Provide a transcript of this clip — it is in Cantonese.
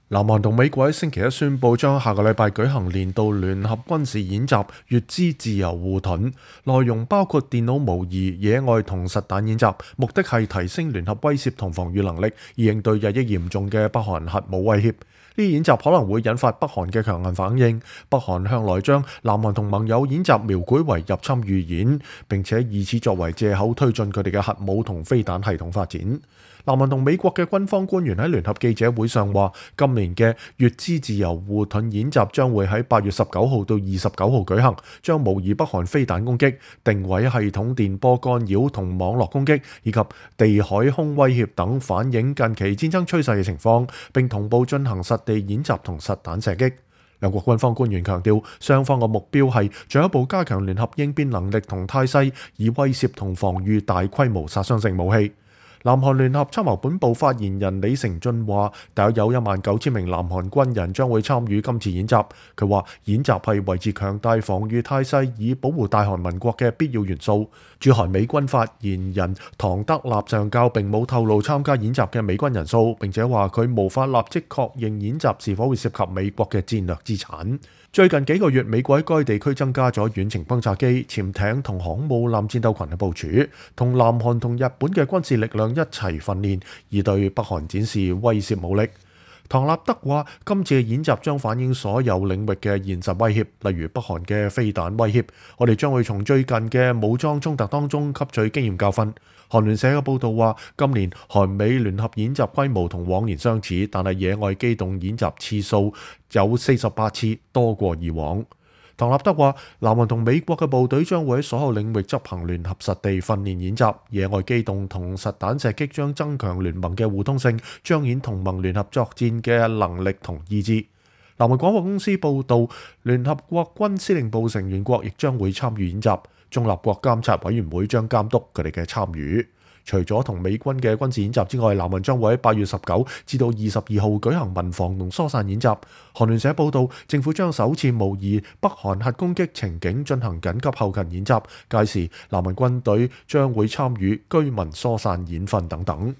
南韓同美國喺星期一宣布將下個禮拜舉行年度聯合軍事演習乙支自由護盾，內容包括電腦模擬、野外同實彈演習，目的係提升聯合威懾同防禦能力，以應對日益嚴重嘅北韓核武威脅。呢啲演習可能會引發北韓嘅強硬反應。北韓向來將南韓同盟友演習描繪為入侵預演，並且以此作為藉口推進佢哋嘅核武同飛彈系統發展。南韓同美國嘅軍方官員喺聯合記者會上話，今年嘅乙支自由護盾演習將會喺8月19號到29號舉行，將模擬北韓飛彈攻擊、定位系統電波干擾同網絡攻擊，以及地海空威脅等反映近期戰爭趨勢嘅情況，並同步進行實地演習同實彈射擊。兩國軍方官員強調，雙方嘅目標係進一步加強聯合應變能力同態勢，以威懾同防禦大規模殺傷性武器。南韓聯合參謀本部發言人李成俊話，大約有19000名南韓軍人將會參與今次演習。佢話演習係維持強大防禦態勢以保護大韓民國嘅必要元素。駐韓美軍發言人唐德納上校並冇透露參加演習嘅美軍人數，並且話佢無法立即確認演習是否會涉及美國嘅戰略資產。最近幾個月，美國喺該地區增加咗遠程轟炸機、潛艇同航母艦戰鬥群嘅部署，同南韓同日本嘅軍事力量一齊訓練，以對北韓展示威懾武力。唐納德話：今次嘅演習將反映所有領域嘅現實威脅，例如北韓嘅飛彈威脅。我哋將會從最近嘅武裝衝突當中吸取經驗教訓。韓聯社嘅報導話，今年韓美聯合演習規模同往年相似，但係野外機動演習次數有48次，多過以往。唐納德話，南韓同美國嘅部隊將會喺所有領域執行聯合實地訓練演習，野外機動同實彈射擊將增強聯盟嘅互通性，彰顯同盟聯合作戰嘅能力同意志。南韓廣播公司報導，聯合國軍司令部成員國亦將會參與演習，中立國監察委員會將監督佢哋嘅參與。除咗同美軍嘅軍事演習之外，南韓將會喺8月19至到22號舉行民防同疏散演習。韓聯社報導，政府將首次模擬北韓核攻擊情景進行緊急後勤演習，屆時南韓軍隊將會參與居民疏散演訓等等。